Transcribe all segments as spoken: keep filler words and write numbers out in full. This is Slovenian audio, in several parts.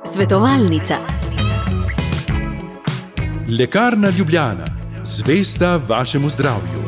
Svetovalnica. Lekarna Ljubljana, zvesta vašemu zdravju.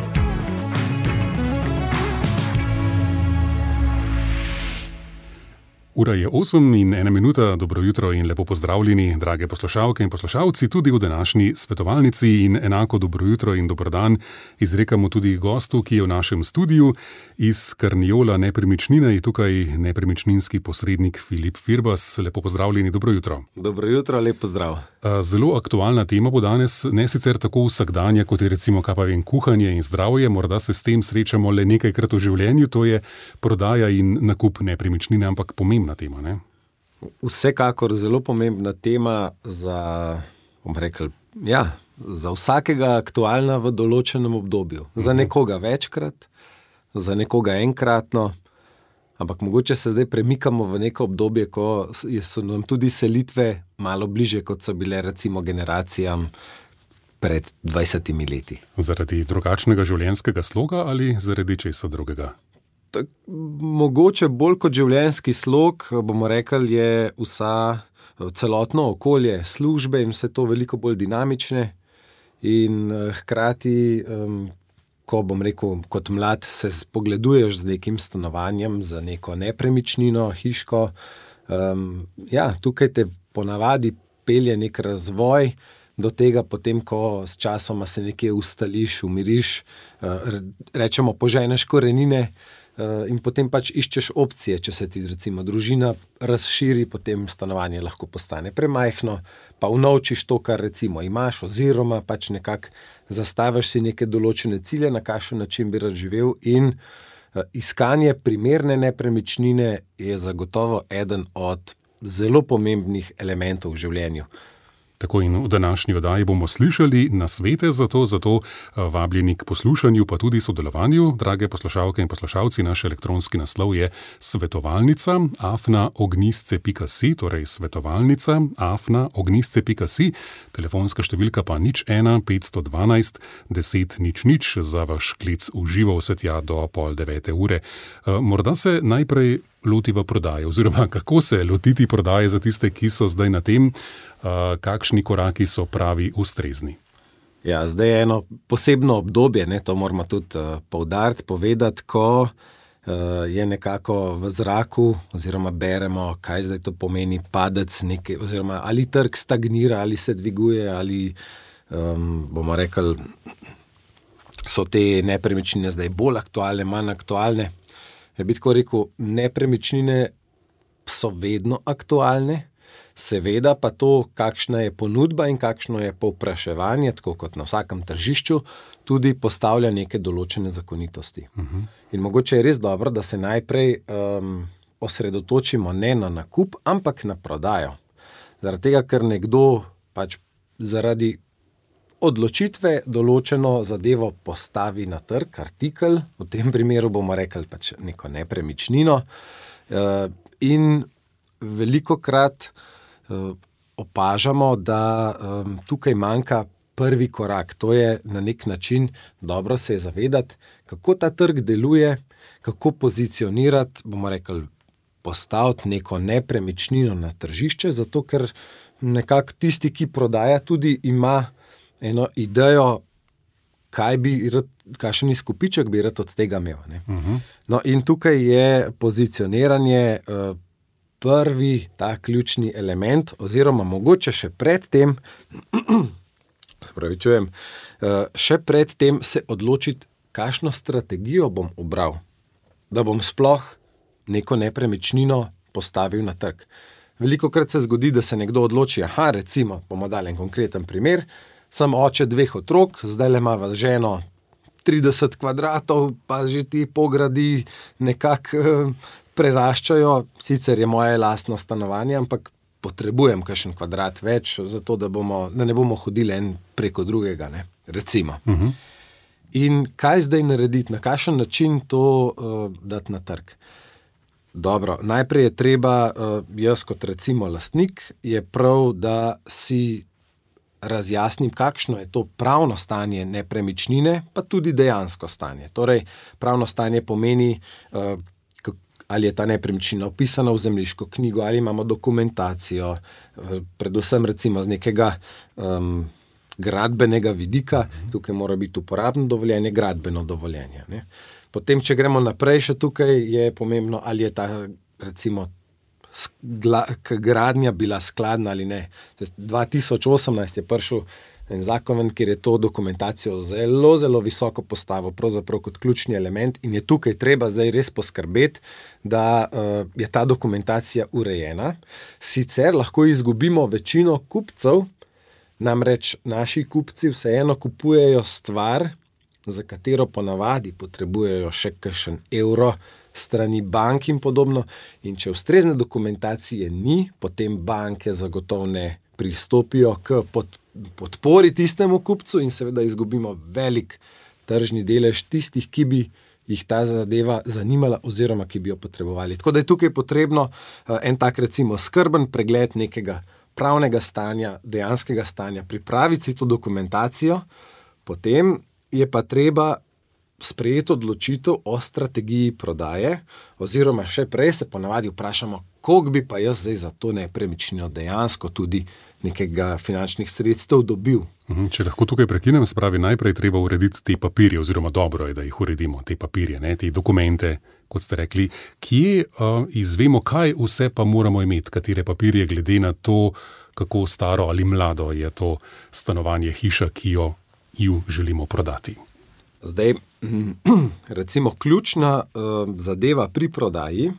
Ura je osem in ena minuta, dobro jutro in lepo pozdravljeni, drage poslušalke in poslušalci, tudi v današnji svetovalnici in enako dobro jutro in dober dan izrekamo tudi gostu, ki je v našem studiu iz Carniola Nepremičnine, je tukaj nepremičninski posrednik Filip Firbas. Lepo pozdravljeni, dobro jutro. Dobro jutro, lep pozdrav. Zelo aktualna tema bo danes, ne sicer tako vsakdanja, kot je recimo kaj pa vem, kuhanje in zdravje, morda se s tem srečamo le nekajkrat v življenju, to je prodaja in nakup nepremičnine, ampak pomembna tema, ne? Vsekakor zelo pomembna tema za, bom rekel, ja, za vsakega aktualna v določenem obdobju. Za nekoga večkrat, za nekoga enkratno, ampak mogoče se zdaj premikamo v neko obdobje, ko so nam tudi selitve malo bliže, kot so bile recimo generacijam pred dvajsetimi leti. Zaradi drugačnega življenjskega sloga ali zaradi česa drugega? Tak, mogoče bolj kot življenjski slog, bomo rekli, je vsa celotno okolje, službe in vse to veliko bolj dinamične in hkrati, ko bom rekel, kot mlad se spogleduješ z nekim stanovanjem, za neko nepremičnino, hiško, ja, tukaj te ponavadi pelje nek razvoj do tega, potem, ko s časoma se nekje ustališ, umiriš, rečemo, poženeš korenine, in potem pač iščeš opcije, če se ti recimo družina razširi, potem stanovanje lahko postane premajhno, pa unovčiš to, kar recimo imaš, oziroma pač nekako zastaviš si neke določene cilje, na kakšen način bi rad živel, in iskanje primerne nepremičnine je zagotovo eden od zelo pomembnih elementov v življenju. Tako in v današnji oddaji bomo slišali nasvete za to, zato vabljeni k poslušanju, pa tudi sodelovanju. Drage poslušalke in poslušalci, naš elektronski naslov je svetovalnica afna ognjisce pika si, torej svetovalnica afna ognjisce pika si, telefonska številka pa nič ena petsto dvanajst deset nič nič za vaš klic v živo vse tja do pol devete ure. Morda se najprej lotiva prodaje, oziroma kako se lotiti prodaje za tiste, ki so zdaj na tem, kakšni koraki so pravi ustrezni. Ja, zdaj je eno posebno obdobje, ne, to moramo tudi uh, poudariti, povedati, ko uh, je nekako v zraku, oziroma beremo, kaj zdaj to pomeni padec nekaj, oziroma ali trg stagnira, ali se dviguje, ali um, bomo rekli, so te nepremičnine zdaj bolj aktualne, manj aktualne. Ja bi tako rekel, nepremičnine so vedno aktualne, seveda pa to, kakšna je ponudba in kakšno je povpraševanje, tako kot na vsakem tržišču, tudi postavlja neke določene zakonitosti. Uh-huh. In mogoče je res dobro, da se najprej um, osredotočimo ne na nakup, ampak na prodajo. Zaradi tega, ker nekdo pač zaradi odločitve določeno zadevo postavi na trg, artikel, v tem primeru bomo rekli pač neko nepremičnino, in velikokrat opažamo, da tukaj manjka prvi korak. To je na nek način dobro se je zavedati, kako ta trg deluje, kako pozicionirati, bomo rekli, postaviti neko nepremičnino na tržišče, zato ker nekako tisti, ki prodaja, tudi ima eno idejo, kaj bi rad, kakšen izkupiček bi rad od tega imel. Ne? Uh-huh. No, in tukaj je pozicioniranje uh, prvi ta ključni element, oziroma mogoče še pred tem, spravičujem, uh, še pred tem se odločiti, kakšno strategijo bom ubral, da bom sploh neko nepremičnino postavil na trg. Velikokrat se zgodi, da se nekdo odloči, aha, recimo, bomo dali en konkreten primer, sem oče dveh otrok, zdaj le ima ženo trideset kvadratov, pa že ti pogradi nekako eh, preraščajo, sicer je moje lastno stanovanje, ampak potrebujem kakšen kvadrat več, zato da, bomo, da ne bomo hodili en preko drugega, ne, recimo. Uh-huh. In kaj zdaj narediti, na kakšen način to uh, dati na trg? Dobro, najprej je treba, uh, jaz kot recimo lastnik, je prav, da si razjasnim, kakšno je to pravno stanje nepremičnine, pa tudi dejansko stanje. Torej, pravno stanje pomeni, ali je ta nepremičnina vpisana v zemljiško knjigo, ali imamo dokumentacijo, predvsem recimo z nekega um, gradbenega vidika, tukaj mora biti uporabno dovoljenje, gradbeno dovoljenje. Ne. Potem, če gremo naprej, še tukaj je pomembno, ali je ta recimo gradnja bila skladna ali ne. dva tisoč osemnajst je prišel en zakon, kjer je to dokumentacijo zelo, zelo visoko postavil, pravzaprav kot ključni element in je tukaj treba zdaj res poskrbeti, da uh, je ta dokumentacija urejena. Sicer lahko izgubimo večino kupcev, namreč naši kupci vseeno kupujejo stvar, za katero ponavadi potrebujejo še kakšen evro strani bank in podobno. In če ustrezne dokumentacije ni, potem banke zagotovo ne pristopijo k pod, podpori tistemu kupcu in seveda izgubimo velik tržni delež tistih, ki bi jih ta zadeva zanimala oziroma ki bi jo potrebovali. Tako da je tukaj potrebno uh, en tak recimo skrben pregled nekega pravnega stanja, dejanskega stanja, pripraviti si to dokumentacijo, potem je pa treba sprejeti odločitev o strategiji prodaje, oziroma še prej se ponavadi vprašamo, koliko bi pa jaz zdaj za to nepremičnino dejansko tudi nekega finančnih sredstev dobil. Če lahko tukaj prekinem, se pravi, najprej treba urediti te papirje, oziroma dobro je, da jih uredimo, te papirje, ne, te dokumente, kot ste rekli. Kje uh, izvemo, kaj vse pa moramo imeti, katere papirje glede na to, kako staro ali mlado je to stanovanje, hiša, ki jo, jo želimo prodati. Zdaj, recimo, ključna uh, zadeva pri prodaji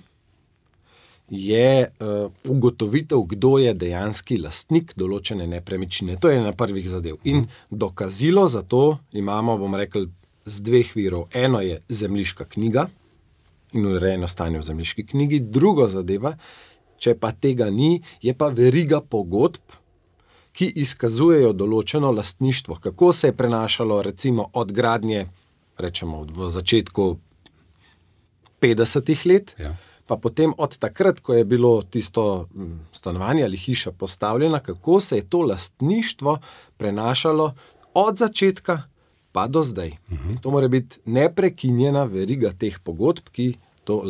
je uh, ugotovitev, kdo je dejanski lastnik določene nepremičnine. To je na prvih zadev. In dokazilo za to imamo, bom rekel, z dveh virov. Eno je zemljiška knjiga in urejeno stanje v zemljiški knjigi. Drugo zadeva, če pa tega ni, je pa veriga pogodb, ki izkazujejo določeno lastništvo. Kako se je prenašalo recimo od gradnje, rečemo v začetku petdesetih let, ja. Pa potem od takrat, ko je bilo tisto stanovanje ali hiša postavljena, kako se je to lastništvo prenašalo od začetka pa do zdaj. Uh-huh. To mora biti neprekinjena veriga teh pogodb, ki to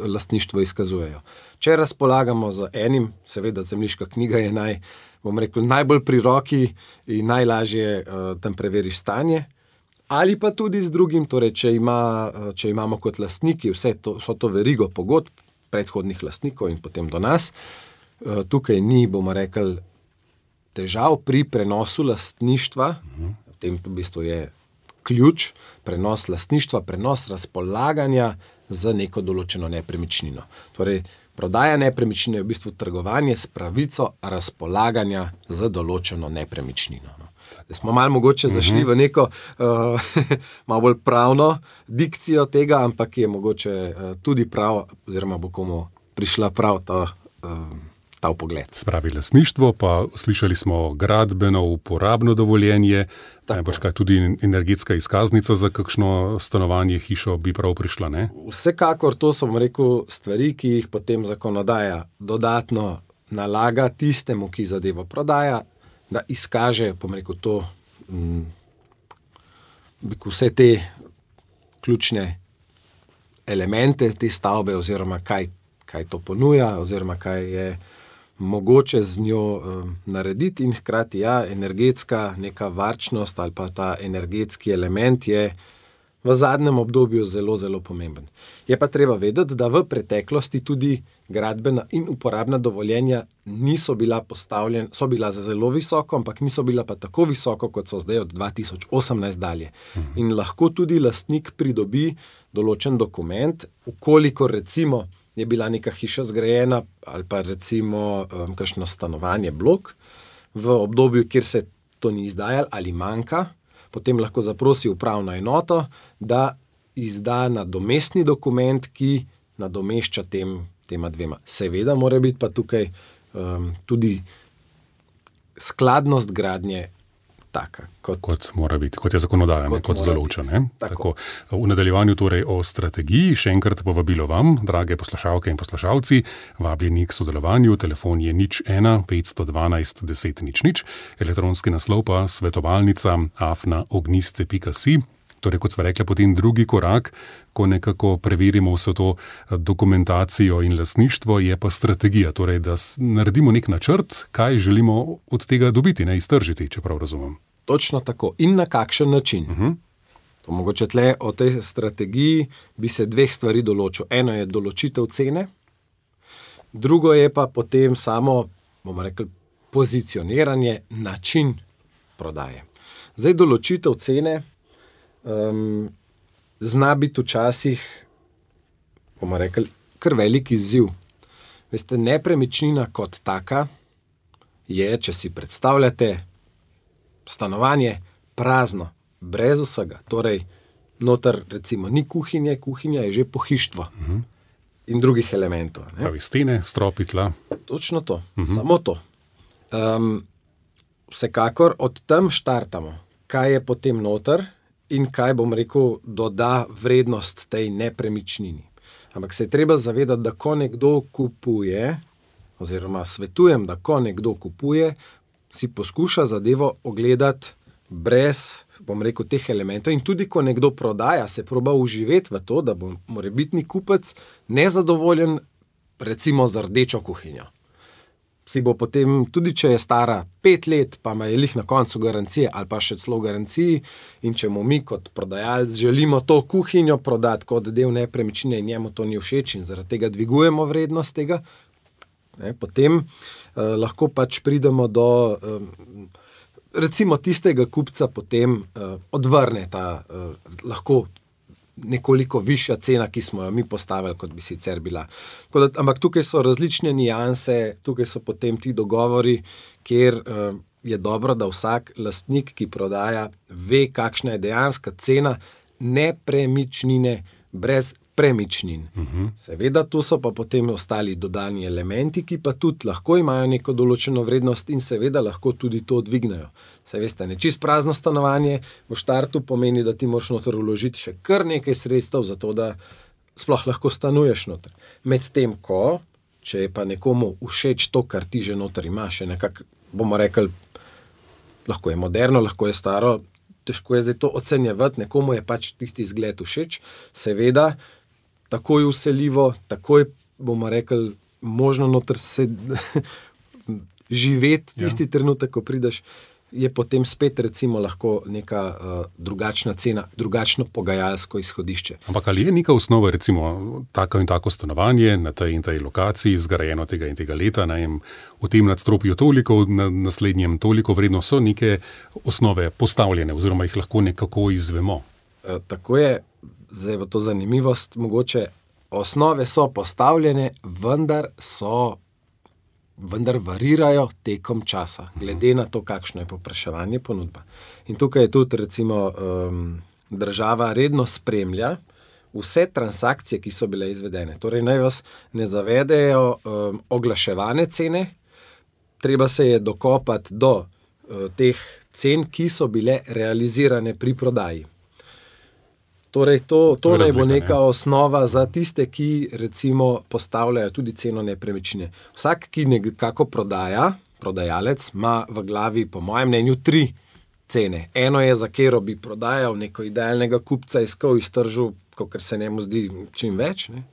lastništvo izkazujejo. Če razpolagamo z enim, seveda zemljiška knjiga je naj, bom rekel, najbolj pri roki in najlažje uh, tam preveriš stanje, ali pa tudi z drugim, torej če, ima, če imamo kot lastniki vse to, vso to verigo pogodb predhodnih lastnikov in potem do nas, uh, tukaj ni, bomo rekel, težav pri prenosu lastništva, uh-huh. V tem v bistvu je ključ, prenos lastništva, prenos razpolaganja za neko določeno nepremičnino. Torej, prodaja nepremičnine je v bistvu trgovanje s pravico razpolaganja za določeno nepremičnino. No. Zdaj smo malo mogoče zašli uh-huh. v neko uh, malo bolj pravno dikcijo tega, ampak je mogoče uh, tudi prav, oziroma bo komu prišla prav ta, uh, ta pogled. Spravi lastništvo, pa slišali smo gradbeno uporabno dovoljenje, najbrž kaj tudi energetska izkaznica za kakšno stanovanje, hišo bi prav prišla, ne? Vsekakor to so, bom rekel, stvari, ki jih potem zakonodaja dodatno nalaga tistemu, ki zadevo prodaja, da izkaže, bom rekel, to, m, vse te ključne elemente te stavbe, oziroma kaj, kaj to ponuja, oziroma kaj je mogoče z njo um, narediti in hkrati, ja, energetska neka varčnost ali pa ta energetski element je v zadnjem obdobju zelo, zelo pomemben. Je pa treba vedeti, da v preteklosti tudi gradbena in uporabna dovoljenja niso bila postavljena, so bila zelo visoko, ampak niso bila pa tako visoko, kot so zdaj od dva tisoč osemnajst dalje. Mhm. In lahko tudi lastnik pridobi določen dokument, ukoliko recimo je bila neka hiša zgrajena ali pa recimo um, kakšno stanovanje, blok, v obdobju, kjer se to ni izdajalo ali manjka, potem lahko zaprosi upravno enoto, da izda nadomestni dokument, ki nadomešča tem, tema dvema. Seveda mora biti pa tukaj um, tudi skladnost gradnje taka. Kot, kot mora biti, kot je zakonodaja, kot, kot določa. Tako. Tako. V nadaljevanju torej o strategiji, še enkrat povabilo vam, drage poslušalke in poslušalci, vabljeni k sodelovanju, telefon je nič ena petsto dvanajst deset nič nič, elektronski naslov pa svetovalnica afna ognjisce pika si. Torej, kot sva rekla, potem drugi korak, ko nekako preverimo vso to dokumentacijo in lastništvo, je pa strategija. Torej, da naredimo nek načrt, kaj želimo od tega dobiti, ne iztržiti, če prav razumem. Točno tako. In na kakšen način. Uh-huh. To mogoče tle o tej strategiji bi se dveh stvari določil. Eno je določitev cene, drugo je pa potem samo, bomo rekli, pozicioniranje, način prodaje. Zdaj, določitev cene um, zna biti včasih, bomo rekli, kar velik izziv. Veste, nepremičnina kot taka je, če si predstavljate, stanovanje prazno, brez vsega. Torej, noter recimo ni kuhinje, kuhinja je že pohištvo. Uh-huh. In drugih elementov. Ne? Pravi stene, stropi, tla. Točno to, uh-huh. Samo to. Um, vsekakor od tam štartamo, kaj je potem noter in kaj, bom rekel, doda vrednost tej nepremičnini. Ampak se je treba zavedati, da ko nekdo kupuje, oziroma svetujem, da ko nekdo kupuje, si poskuša zadevo ogledati brez, bom rekel, teh elementov. In tudi, ko nekdo prodaja, se proba uživeti v to, da bo morebitni kupec nezadovoljen, recimo z rdečo kuhinjo. Si bo potem, tudi če je stara pet let, pa ima je lih na koncu garancije ali pa še celo garanciji, in če mu mi kot prodajalec želimo to kuhinjo prodati kot del nepremičnine in njemu to ni všeč in zaradi tega dvigujemo vrednost tega, ne, potem eh, lahko pač pridemo do eh, recimo tistega kupca potem eh, odvrne ta eh, lahko nekoliko višja cena, ki smo jo mi postavili, kot bi sicer bila. Da, ampak tukaj so različne nianse, tukaj so potem ti dogovori, kjer uh, je dobro, da vsak lastnik, ki prodaja, ve, kakšna je dejanska cena nepremičnine brez premičnin. Uh-huh. Seveda, tu so pa potem ostali dodani elementi, ki pa tudi lahko imajo neko določeno vrednost in seveda lahko tudi to dvignejo. Se veste, ne čist prazno stanovanje v štartu pomeni, da ti moraš noter vložiti še kar nekaj sredstev za to, da sploh lahko stanuješ noter. Medtem ko, če je pa nekomu všeč to, kar ti že noter ima, še nekako, bomo rekli, lahko je moderno, lahko je staro, težko je zdaj to ocenjevati, nekomu je pač tisti izgled všeč, seveda, takoj vseljivo, takoj, bomo rekli, možno noter se živeti tisti ja. trenutek, ko prideš, je potem spet recimo lahko neka uh, drugačna cena, drugačno pogajalsko izhodišče. Ampak ali je neka osnova, recimo tako in tako stanovanje na tej in tej lokaciji, zgrajeno tega in tega leta, najem, v tem nadstropju toliko, na naslednjem toliko vredno, so neke osnove postavljene oziroma jih lahko nekako izvemo? Uh, tako je. Zdaj bo to zanimivost, mogoče osnove so postavljene, vendar so, vendar varirajo tekom časa, glede na to, kakšno je povpraševanje, ponudba. In tukaj je tudi recimo um, država redno spremlja vse transakcije, ki so bile izvedene. Torej naj vas ne zavedejo um, oglaševane cene, treba se je dokopati do uh, teh cen, ki so bile realizirane pri prodaji. Torej, to, to naj bo neka ne? osnova za tiste, ki recimo postavljajo tudi ceno nepremičnine. Vsak, ki nekako prodaja, prodajalec, ima v glavi, po mojem mnenju, tri cene. Eno je, za katero bi prodajal neko idealnega kupca, iskal iztržil, kakor se njemu zdi čim več. Ne?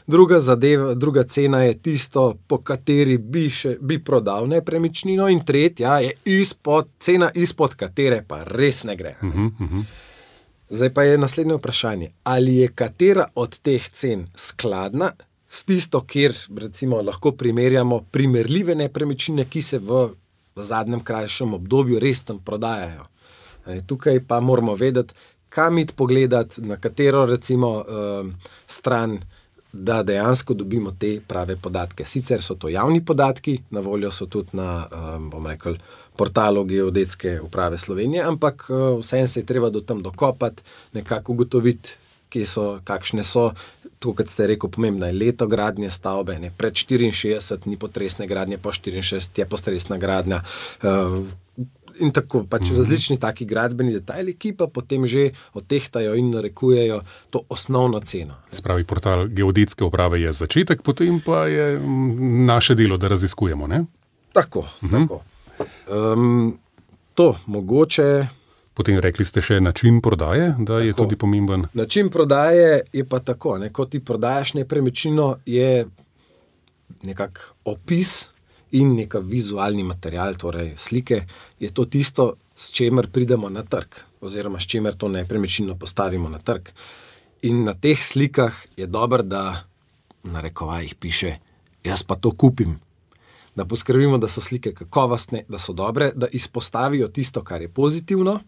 Druga zadeva, druga cena je tisto, po kateri bi, še, bi prodal nepremičnino, in tretja je izpod, cena izpod katere pa res ne gre. Uh-huh, uh-huh. Zdaj pa je naslednje vprašanje, ali je katera od teh cen skladna s tisto, kjer recimo lahko primerjamo primerljive nepremičnine, ki se v, v zadnjem krajšem obdobju res tam prodajajo. Tukaj pa moramo vedeti, kam iti pogledati, na katero recimo uh, stran, da dejansko dobimo te prave podatke. Sicer so to javni podatki, na voljo so tudi na, um, bom rekel, portalu Geodetske uprave Slovenije, ampak uh, vseeno se je treba do tam dokopati, nekako ugotoviti, kje so, kakšne so. To, kot ste rekel, pomembno je leto gradnje stavbe, ne, pred štiriinšestdeset ni potresne gradnje, po štiriinšestdeset je postresna gradnja. Uh, In tako, pač mm-hmm. različni taki gradbeni detajli, ki pa potem že odtehtajo in narekujejo to osnovno ceno. Spravi, portal Geodetske uprave je začetek, potem pa je naše delo, da raziskujemo, ne? Tako, mm-hmm. tako. Um, to mogoče Potem rekli ste še način prodaje, da je tako tudi pomemben. Način prodaje je pa tako, ne, ko ti prodajaš nepremičnino, je nekak opis in neka vizualni material, torej slike, je to tisto, s čemer pridemo na trg, oziroma s čemer to nepremičnino postavimo na trg. In na teh slikah je dobro, da na rekovajih piše, jaz pa to kupim. Da poskrbimo, da so slike kakovostne, da so dobre, da izpostavijo tisto, kar je pozitivno.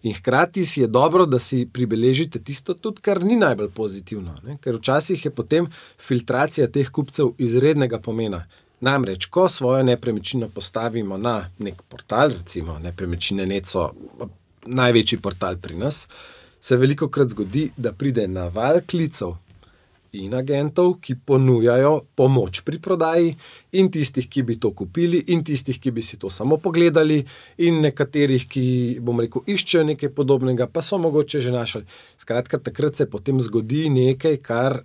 In hkrati si je dobro, da si pribeležite tisto tudi, kar ni najbolj pozitivno. Ne? Ker včasih je potem filtracija teh kupcev izrednega pomena. Namreč, ko svojo nepremičnino postavimo na nek portal, recimo Nepremičnine net so največji portal pri nas, se velikokrat zgodi, da pride na val klicev in agentov, ki ponujajo pomoč pri prodaji, in tistih, ki bi to kupili, in tistih, ki bi si to samo pogledali, in nekaterih, ki, bom rekel, iščejo nekaj podobnega, pa so mogoče že našli. Skratka, takrat se potem zgodi nekaj, kar,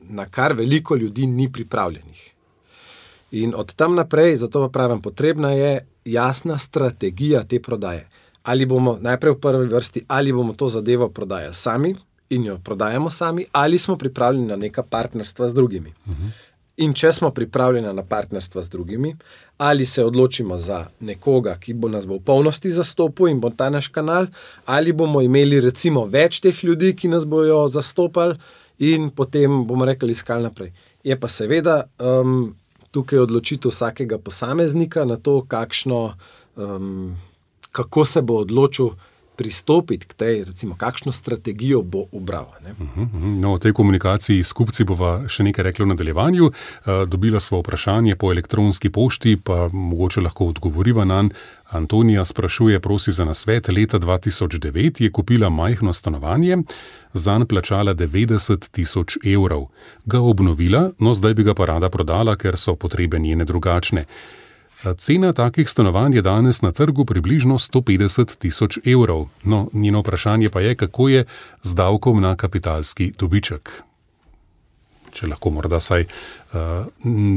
na kar veliko ljudi ni pripravljenih. In od tam naprej, zato pa pravim, potrebna je jasna strategija te prodaje. Ali bomo najprej v prvi vrsti, ali bomo to zadevo prodajali sami in jo prodajamo sami, ali smo pripravljeni na neka partnerstva z drugimi. Uh-huh. In če smo pripravljeni na partnerstva z drugimi, ali se odločimo za nekoga, ki bo nas bo v polnosti zastopil in bo ta naš kanal, ali bomo imeli recimo več teh ljudi, ki nas bojo zastopali in potem bomo rekli iskali naprej. Je pa seveda um, tukaj odločitev vsakega posameznika na to, kakšno, um, kako se bo odločil pristopiti k tej, recimo, kakšno strategijo bo ubral. Ne? No, o tej komunikaciji s kupci bova še nekaj rekla v nadaljevanju. Dobila sva vprašanje po elektronski pošti, pa mogoče lahko odgovoriva nanj. Antonija sprašuje, prosi za nasvet. Leta dva tisoč devet je kupila majhno stanovanje, zanj plačala devetdeset tisoč evrov. Ga obnovila, no zdaj bi ga pa rada prodala, ker so potrebe njene drugačne. Cena takih stanovanj je danes na trgu približno sto petdeset tisoč evrov. No, njeno vprašanje pa je, kako je z davkom na kapitalski dobiček. Če lahko morda saj uh,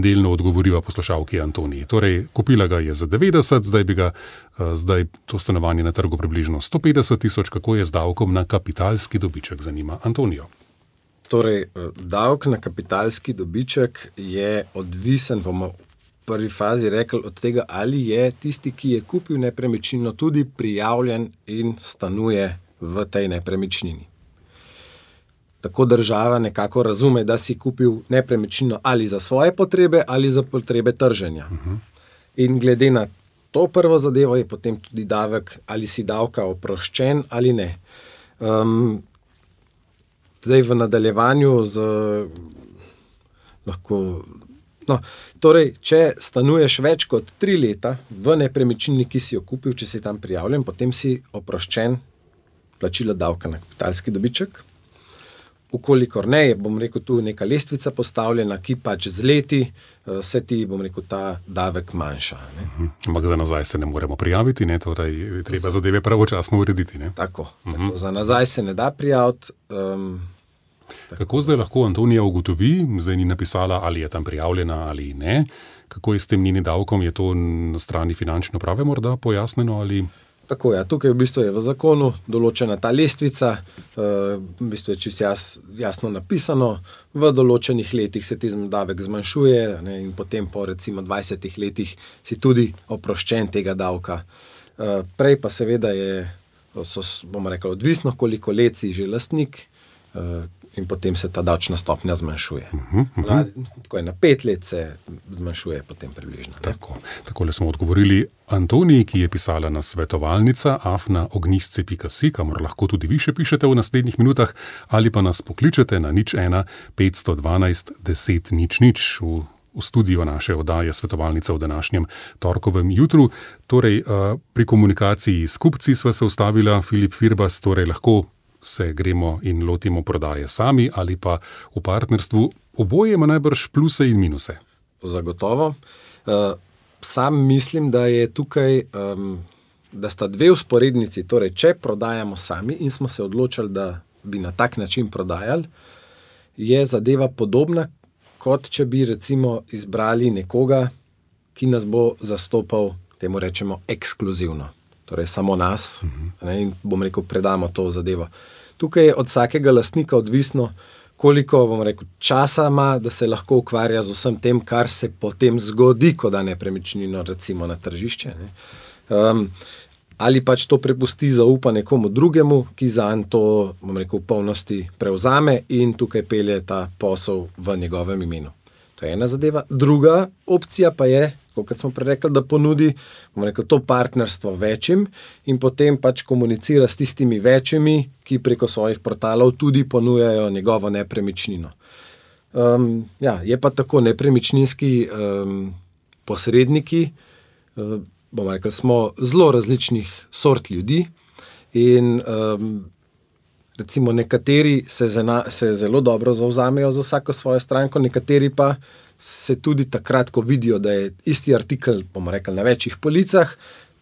delno odgovoriva poslušalki Antoniji. Torej, kupila ga je za devetdeset, zdaj bi ga, uh, zdaj to stanovanje na trgu približno sto petdeset tisoč, kako je z davkom na kapitalski dobiček, zanima Antonijo. Torej, davek na kapitalski dobiček je odvisen, bomo v prvi fazi rekli, od tega, ali je tisti, ki je kupil nepremičnino, tudi prijavljen in stanuje v tej nepremičnini. Tako država nekako razume, da si kupil nepremičnino ali za svoje potrebe ali za potrebe trženja. Uh-huh. In glede na to prvo zadevo je potem tudi davek, ali si davka oproščen ali ne. Um, zdaj v nadaljevanju z lahko... No, torej, če stanuješ več kot tri leta v nepremičnini, ki si jo kupil, če si tam prijavljen, potem si oproščen plačila davka na kapitalski dobiček. Ukolikor ne, je, bom rekel, tu neka lestvica postavljena, ki pač z leti se ti, bom rekel, ta davek manjša. Ne? Ampak za nazaj se ne moremo prijaviti, ne? Torej treba zadeve pravočasno urediti. Ne? Tako, uh-huh. tako, za nazaj se ne da prijaviti. Um, Kako zdaj lahko Antonija ugotovi, zdaj ni napisala, ali je tam prijavljena ali ne, kako je s tem njenim davkom, je to na strani finančne uprave morda pojasneno ali... Tako je, tukaj v bistvu je v zakonu določena ta lestvica, v bistvu je čisto jas, jasno napisano, v določenih letih se ti davek zmanjšuje, ne, in potem po recimo dvajsetih letih si tudi oproščen tega davka. Prej pa seveda je, so, bomo rekli, odvisno, koliko let si že lastnik, in potem se ta davčna stopnja zmanjšuje. Uh-huh, uh-huh. Tako je, na pet let se zmanjšuje potem približno. Tako, takole smo odgovorili Antoniji, ki je pisala na svetovalnica afna ognjisce pika si, kamor lahko tudi vi še pišete v naslednjih minutah, ali pa nas pokličete na nič ena petsto dvanajst deset nič nič v, v studio naše oddaje Svetovalnica v današnjem torkovem jutru. Torej, pri komunikaciji s kupci sva se ustavila, Filip Firbas, torej lahko se gremo in lotimo prodaje sami ali pa v partnerstvu. Oboje ima najbrž pluse in minuse. Zagotovo. Sam mislim, da je tukaj, da sta dve vzporednici, torej če prodajamo sami in smo se odločili, da bi na tak način prodajali, je zadeva podobna, kot če bi recimo izbrali nekoga, ki nas bo zastopal, temu rečemo, ekskluzivno. torej samo nas, ne, in bom rekel, predamo to zadevo. Tukaj je od vsakega lastnika odvisno, koliko, bom rekel, časa ima, da se lahko ukvarja z vsem tem, kar se potem zgodi, ko da nepremičnino recimo na tržišče. Ne. Um, ali pač to prepusti zaupa nekomu drugemu, ki zanj to, bom rekel, v polnosti prevzame in tukaj pelje ta posel v njegovem imenu. To je ena zadeva. Druga opcija pa je, kot smo prej rekli, da ponudi, bom rekel, to partnerstvo večjim in potem pač komunicira s tistimi večjimi, ki preko svojih portalov tudi ponujajo njegovo nepremičnino. Um, ja, je pa tako, nepremičninski um, posredniki, um, bomo rekli, smo zelo različnih sort ljudi in um, recimo nekateri se, zena, se zelo dobro zavzamejo za vsako svojo stranko, nekateri pa se tudi takrat, ko vidijo, da je isti artikel, bomo rekli, na večjih policah,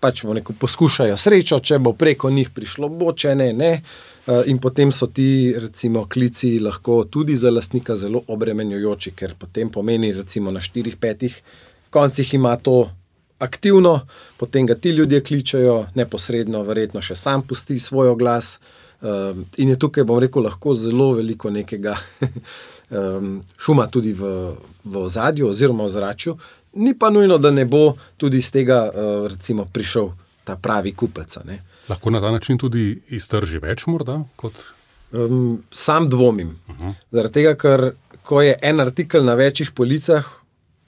pač bomo rekel, poskušajo srečo, če bo preko njih prišlo, bo, če ne, ne. In potem so ti, recimo, klici lahko tudi za lastnika zelo obremenjujoči, ker potem pomeni, recimo, na štirih, petih koncih ima to aktivno, potem ga ti ljudje kličejo, neposredno verjetno še sam pusti svoj oglas um, in je tukaj, bom rekel, lahko zelo veliko nekega um, šuma tudi v, v ozadju oziroma v zračju. Ni pa nujno, da ne bo tudi z tega uh, recimo prišel ta pravi kupec. Ne. Lahko na ta način tudi iztrži več morda? Kot... Um, sam dvomim. Uh-huh. Zaradi tega, ker ko je en artikel na večjih policah,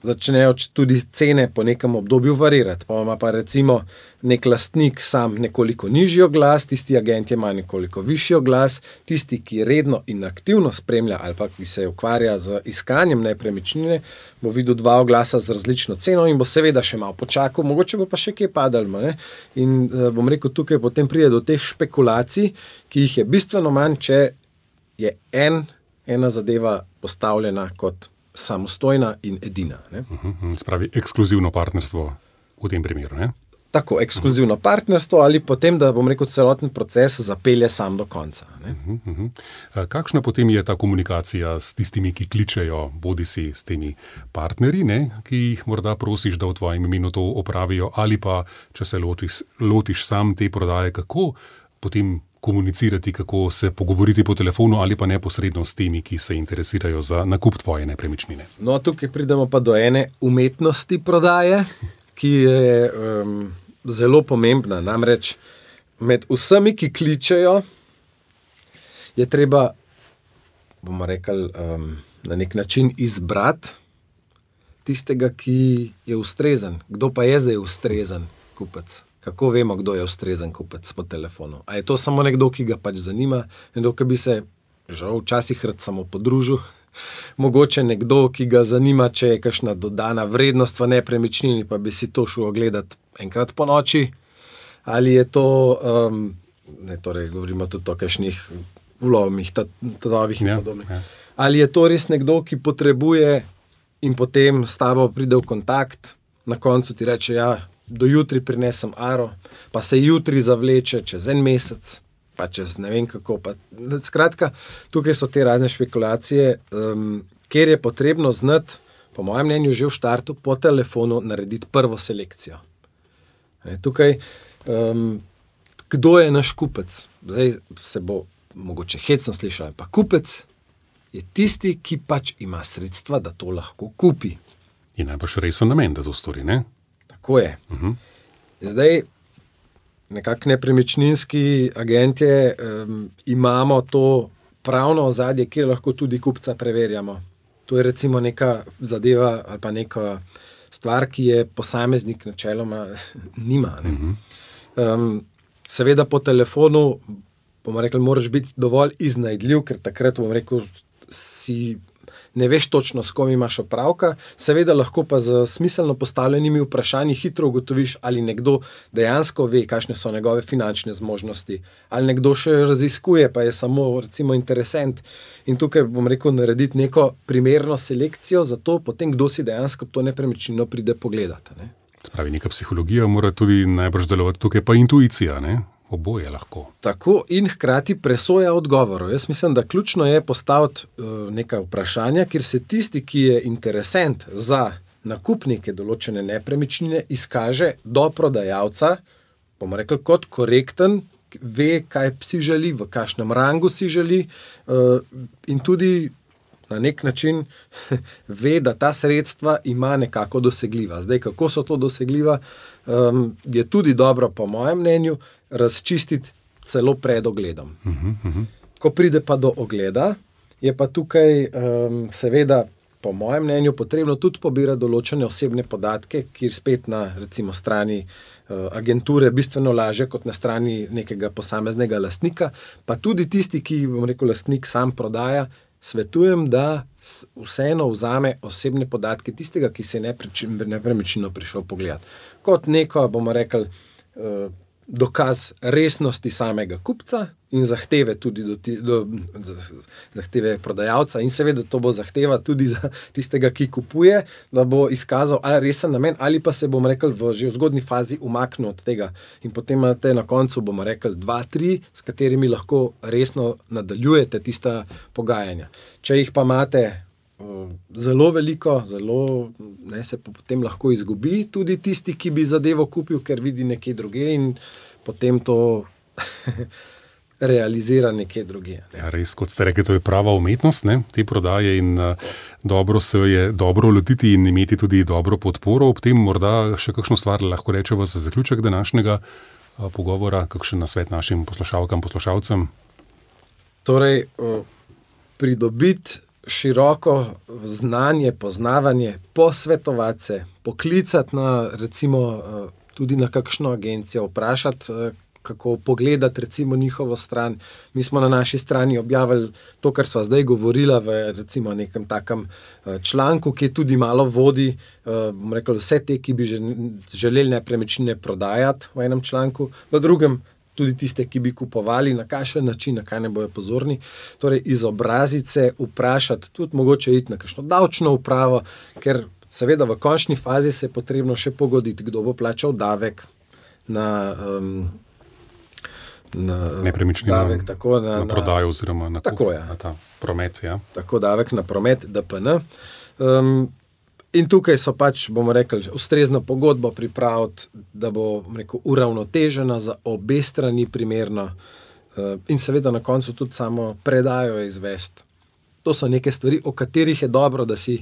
začnejo tudi cene po nekem obdobju varirati. Pa ima pa recimo nek lastnik sam nekoliko nižji oglas, tisti agent ima nekoliko višji oglas, tisti, ki redno in aktivno spremlja ali pa ki se ukvarja z iskanjem nepremičnine, bo videl dva oglasa z različno ceno in bo seveda še malo počakal, mogoče bo pa še kje padal. Ne? In bom rekel, tukaj potem pride do teh špekulacij, ki jih je bistveno manj, če je en, ena zadeva postavljena kot samostojna in edina. Ne? Uh-huh. Spravi ekskluzivno partnerstvo v tem primeru, ne? Tako, ekskluzivno uh-huh. partnerstvo ali potem, da bom rekel, celoten proces zapelje sam do konca. Ne? Uh-huh, uh-huh. Kakšna potem je ta komunikacija s tistimi, ki kličejo, bodi si s temi partnerji, ne? Ki jih morda prosiš, da v tvojem imenu to opravijo, ali pa, če se lotiš, lotiš sam te prodaje, kako potem komunicirati, kako se pogovoriti po telefonu ali pa neposredno s temi, ki se interesirajo za nakup tvoje nepremičnine. No, tukaj pridemo pa do ene umetnosti prodaje, ki je um, zelo pomembna. Namreč med vsemi, ki kličejo, je treba, bomo rekli, um, na nek način izbrati tistega, ki je ustrezen. Kdo pa je zdaj ustrezen kupec? Kako vemo, kdo je ustrezen kupec po telefonu? A je to samo nekdo, ki ga pač zanima, nekdo, ki bi se žal včasih rad samo podružil, mogoče nekdo, ki ga zanima, če je kakšna dodana vrednost v nepremičnini, pa bi si to šel ogledati enkrat po noči, ali je to, um, ne, torej govorimo tudi o kakšnih vlovnih, tatovih in ja, podobnih. Ja. Ali je to res nekdo, ki potrebuje in potem s tabo pride v kontakt, na koncu ti reče, ja, do jutri prinesem aro, pa se jutri zavleče čez en mesec, pa čez ne vem kako. Pa, skratka, tukaj so te razne špekulacije, um, kjer je potrebno znati, po mojem mnenju, že v štartu po telefonu narediti prvo selekcijo. E, tukaj, um, kdo je naš kupec? Zdaj se bo mogoče hecno slišal, pa kupec je tisti, ki pač ima sredstva, da to lahko kupi. In najbrž resen namen, da to stori, ne? Tako je. Uh-huh. Zdaj, nekako nepremičninski agentje um, imamo to pravno ozadje, kjer lahko tudi kupca preverjamo. To je recimo neka zadeva ali pa neka stvar, ki je posameznik načeloma nima. Ne? Uh-huh. Um, seveda po telefonu, bomo rekli, moraš biti dovolj iznajdljiv, ker takrat, bom rekel, si ne veš točno, s kom imaš opravka, seveda lahko pa z smiselno postavljenimi vprašanji hitro ugotoviš, ali nekdo dejansko ve, kakšne so njegove finančne zmožnosti, ali nekdo še raziskuje, pa je samo recimo interesent. In tukaj, bom rekel, narediti neko primerno selekcijo za to, potem kdo si dejansko to nepremičnino pride pogledati. Ne? Spravi, neka psihologija mora tudi najbrž delovati, tukaj pa intuicija, ne? Oboje lahko. Tako in hkrati presoja odgovorov. Jaz mislim, da ključno je postaviti uh, neka vprašanja, kjer se tisti, ki je interesent za nakup neke določene nepremičnine, izkaže do prodajalca, bomo rekli, kot korekten, ve, kaj si želi, v kakšnem rangu si želi uh, in tudi na nek način ve, da ta sredstva ima nekako dosegljiva. Zdaj, kako so to dosegljiva, um, je tudi dobro, po mojem mnenju, razčistiti celo pred ogledom. Uh-huh, uh-huh. Ko pride pa do ogleda, je pa tukaj um, seveda po mojem mnenju potrebno tudi pobirati določene osebne podatke, kjer spet na recimo strani uh, agenture bistveno lažje kot na strani nekega posameznega lastnika, pa tudi tisti, ki, bom rekel, lastnik sam prodaja, svetujem, da vseeno vzame osebne podatke tistega, ki se je nepremičnino prišel pogledati. Kot neko, bomo rekli, uh, dokaz resnosti samega kupca in zahteve tudi do, do, do zahteve prodajalca in seveda to bo zahteva tudi za tistega, ki kupuje, da bo izkazal ali resen namen ali pa se, bomo rekli, v že v zgodnji fazi umaknil od tega in potem imate na koncu, bomo rekli, dva, tri, s katerimi lahko resno nadaljujete tista pogajanja. Če jih pa imate uh, zelo veliko, zelo, ne, se potem lahko izgubi tudi tisti, ki bi zadevo kupil, ker vidi nekje druge in potem to realizira nekje druge. Ja, res, kot ste rekli, to je prava umetnost, ne, te prodaje in uh, dobro se je dobro lotiti in imeti tudi dobro podporo. Ob tem morda še kakšno stvar lahko rečeva za zaključek današnjega uh, pogovora, kakšen nasvet našim poslušalkam, poslušalcem? Torej, uh, pridobiti široko znanje, poznavanje, posvetovati se, poklicati na, recimo, uh, tudi na kakšno agencijo, vprašati, uh, kako pogledati recimo njihovo stran. Mi smo na naši strani objavili to, kar sva zdaj govorila v recimo nekem takem članku, ki tudi malo vodi, bom rekel, vse te, ki bi želeli nepremičnine prodajati v enem članku, v drugem tudi tiste, ki bi kupovali, na kakšen način, na kaj ne bojo pozorni. Torej, izobraziti se, vprašati, tudi mogoče iti na kakšno davčno upravo, ker seveda v končni fazi se je potrebno še pogoditi, kdo bo plačal davek na um, na nepremičnino, davek, tako na, na prodajo oziroma na, tako, kup, ja. na ta promet. Ja. Tako davek na promet, D P N. Um, in tukaj so pač, bomo rekli, ustrezno pogodbo pripraviti, da bo, rekel, uravnotežena za obe strani primerno uh, in seveda na koncu tudi samo predajo izvesti. To so neke stvari, o katerih je dobro, da si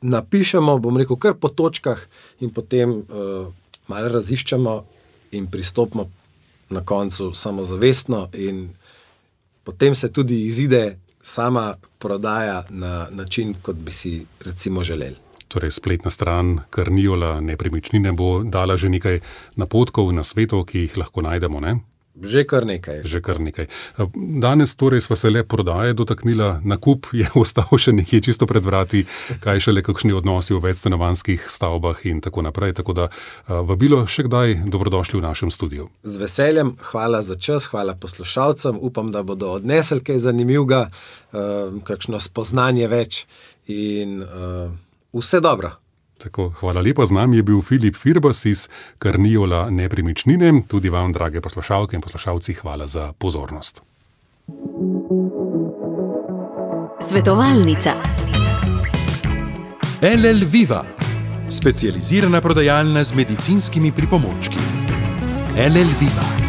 napišemo, bom rekel, kar po točkah in potem uh, malo raziščemo in pristopimo na koncu samozavestno in potem se tudi izide sama prodaja na način, kot bi si recimo želeli. Torej, spletna stran Carniola nepremičnine bo dala že nekaj napotkov na svetu, ki jih lahko najdemo, ne? Že kar nekaj. Že kar nekaj. Danes torej sva se le prodaje dotaknila, nakup je ostal še nekje čisto pred vrati, kaj šele kakšni odnosi v večstanovanjskih stavbah in tako naprej. Tako da vabilo še kdaj dobrodošli v našem studiu. Z veseljem, hvala za čas, hvala poslušalcem, upam, da bodo odnesli kaj zanimivega, kakšno spoznanje več in vse dobro. Tako, hvala lepa, z nami je bil Filip Firbas iz Carniola nepremičnine. Tudi vam, drage poslušalke in poslušalci, hvala za pozornost. Svetovalnica. L L Viva, specializirana prodajalna z medicinskimi pripomočki. L L Viva.